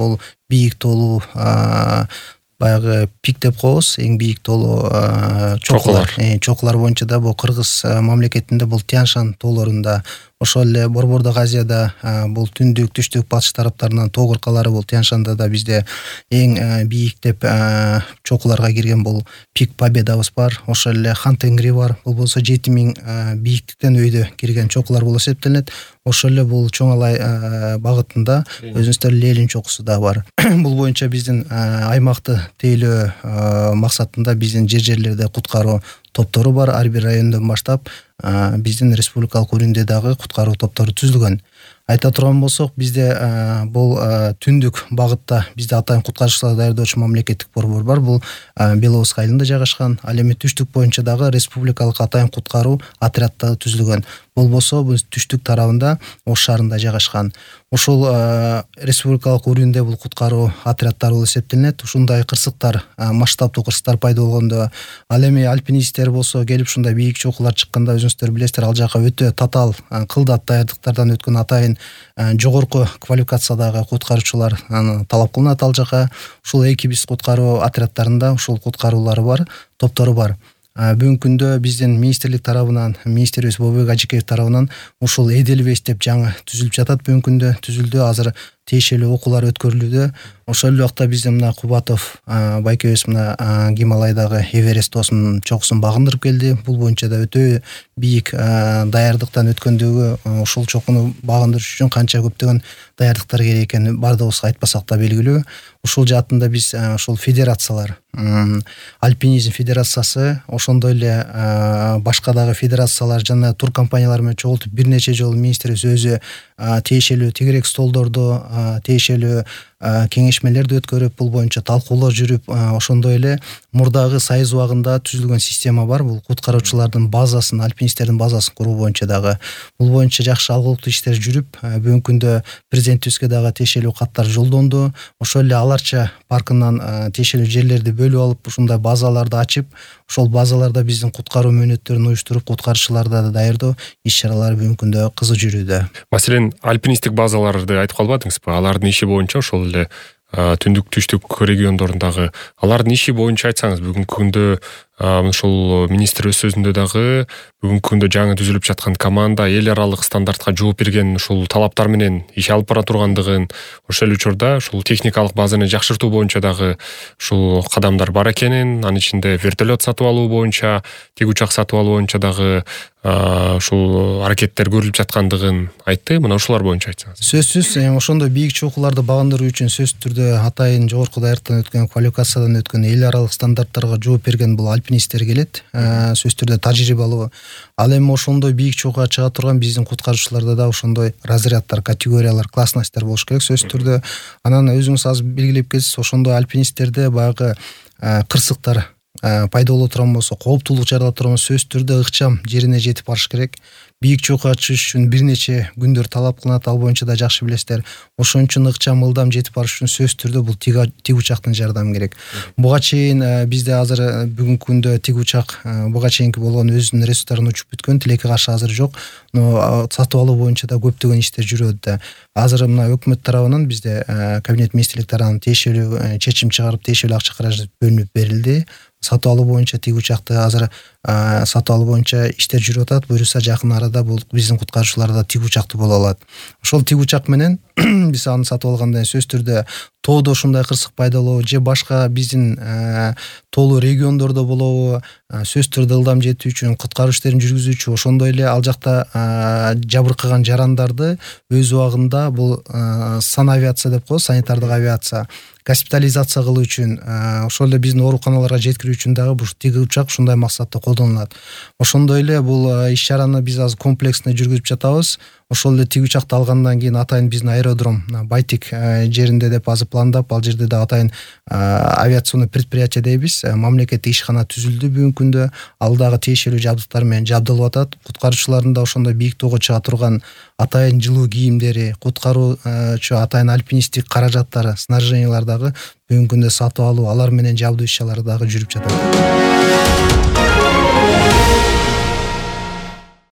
бул бийик тоолуу баягы пик деп коебуз, эң бийик тоолуу чокулар боюнча да бул Кыргыз мамлекетинде бул Тянь-Шань тоолорунда, ошол эле Борбордук Азияда бул түндүк, түштүк, батыш тараптарынан тоо кыркалары бул Тянь-Шанда да бизде эң бийик деп чокуларга кирген бул Пик Победабыз бар. Ошол эле Хан-Тенгри бар. Бул болсо 7000 бийиктиктен өйдө кирген чокулар болуп эсептелет. Ошол эле бул Чоң Алай багытында өзүңүздөр Ленин чокусу да бар. Бул боюнча биздин аймакты тейлөө максатында биздин жерлерде куткаруу топтору бар. Ар бир райондон баштап биздин республикалык өрүндө дагы куткаруу топтору түзүлгөн. Айта турган болсок, бизде бул түндүк багытта бизде атайын куткаруучулар даярдоочу мамлекеттик борбор бар. Бул Беловодск айылында жайгашкан. Ал эми түштүк боюнча дагы республикалык атайын куткаруу отряддары түзүлгөн. Бул болсо бул түштүк тарабында Ош шаарында жайгашкан. Ушул республикалык өрүндө бул куткаруу отряддары болуп эсептелет. Ушундай кырсыктар, масштабдуу кырсыктар пайда болгондо, ал эми альпинисттер болсо келип ушундай бийик чокулар чыкканда өзүңүздөр билесиздер, ал жака өтө татаал, кылдат даярдыктардан өткөн атайын жогорку квалификациядагы куткаруучулар талап кылынат ал жака. Ушул экибиз куткаруу отряддарында ушул куткаруулары бар, топтору бар. Бүгүнкү күндө биздин министрлик тарабынан, министрибиз Болотбек Ажыкеев тарабынан ушул Эделвейс деп жаңы түзүлүп жатат. Бүгүнкү күндө түзүлдү, азыр тиешелүү окуулар өткөрүлүүдө. Ошол эле убакта биздин мына Кубатов байкебиз мына Гималайдагы Эверест тоосунун чокусун багындырып келди. Бул боюнча да өтө бийик даярдыктан өткөндөгү ушул чокуну багындырыш үчүн канча көптөгөн даярдыктар керек экенин бардыгыбызга айтпасак да белгилүү. Ушул жаатында биз ушул федерациялар, Альпинизм федерациясы, ошондой эле башка дагы федерациялар жана тур компаниялар менен чогултуп бир нече жолу министрибиз өзү тиешелүү тегерек столдорду, тиешелүү кеңешмелерди өткөрүп, бул боюнча талкуулоо жүрүп, ошондой эле мурдагы Союз убагында түзүлгөн система бар. Бул куткаруучулардын базасын, альпинисттердин базасын куруу боюнча дагы бул боюнча жакшы алгылыктуу иштер жүрүп, бүгүнкү күндө президентибизге дагы тиешелүү каттар жолдонду. Ошол эле Аларча паркынан тиешелүү жерлерди бөлүп алып, ушундай базаларды ачып, ошол базаларда биздин куткаруу мөөнөттөрүн уюштуруп, куткаруучуларды даярдоо иш-чаралары бүгүнкү күндө кызуу жүрүүдө. Маселен, альпинисттик базаларды айтып калбадыңызбы? Алардын иши боюнча ошол эле түндүк, түштүк региондорундагы алардын иши боюнча айтсаңыз, бүгүнкү күндө ошол министр өз сөзүндө дагы бүгүнкү күндө жаңы түзүлүп жаткан команда эл аралык стандартка жооп берген ушул талаптар менен иш алып бара тургандыгын, ошол учурда ушул техникалык базаны жакшыртуу боюнча дагы ушул кадамдар бар экенин, анын ичинде вертолет сатып алуу боюнча, тик учак сатып алуу боюнча дагы ушул аракеттер көрүлүп жаткандыгын айтты. Мына ушулар боюнча айтсаңыз. Сөзсүз, ошондой бийик чокуларды багындыруу үчүн сөзсүз түрдө атайын жогорку даярдыктан өткөн, квалификациядан өткөн, эл аралык стандарттарга жооп берген бул альпинисттер келет. Сөзсүз түрдө тажрыйбалуу. Ал эми ошондой бийик чокуга чыга турган биздин куткаруучуларда да ошондой разряддар, категориялар, классностьтер болуш керек сөзсүз түрдө. Анан өзүңүз азыр белгилеп келсиз, ошондой альпинисттерде баягы кырсыктар пайда боло турган болсо, кооптуулук жарала турган болсо, сөзсүз түрдө ыкчам жерине жетип барыш керек. Бийик чокуга чыгыш үчүн бир нече күндөр талап кылынат, ал боюнча да жакшы билесиздер. Ошон үчүн ыкчам, ылдам жетип барыш үчүн сөзсүз түрдө бул тик учактын жардамы керек. Буга чейин бизде азыр бүгүнкү күндө тик учак буга чейинки болгон өзүнүн ресурстарын учуп бүткөн, тилекке каршы азыр жок. Но сатып алуу боюнча да көптөгөн иштер жүрөт да. Азыр мына өкмөт тарабынан бизде кабинет министрлик тарабынан тиешелүү чечим чыгарып, тиешелүү акча каражат бөлүнүп берилди. Сатып алуу боюнча тик учакты азыр сатып алуу боюнча иштер жүрүп атат. Буюрса жакын арада бул биздин куткаруучулар да тик учакты боло алат. Ошол тик учак менен биз аны сатып алгандан сөзсүз түрдө тоодо ушундай кырсык пайда болобу же башка биздин тоолуу региондордо болобу, сөзсүз түрдө ылдам жетүү үчүн куткаруу иштерин жүргүзүүчү, ошондой эле ал жакта жабыркаган жарандарды өз убагында бул санавиация деп коебуз, санитардык авиация госпитализация кылуу үчүн, ошол эле биздин ооруканаларга жеткирүү үчүн дагы бул тик учак ушундай максатта колдонулат. Ошондой эле бул иш-чараны биз азыр комплексно жүргүзүп жатабыз. Ошол эле тик учакты алгандан кийин атайын биздин аэродром Байтик жеринде деп азыр пландап, ал жерде да атайын авиационный предприятие дейбиз, мамлекеттик ишкана түзүлдү бүгүнкү күндө. Ал дагы тиешелүү жабдыктар менен жабдылып атат. Куткаруучулардын да ошондой бийик тоого чыга турган атайын жылуу кийимдери, куткаруучу атайын альпинисттик каражаттары, снаряжениялар дагы бүгүнкү күндө сатып алуу, алар менен жабдуу иш-чаралары дагы жүрүп жатат.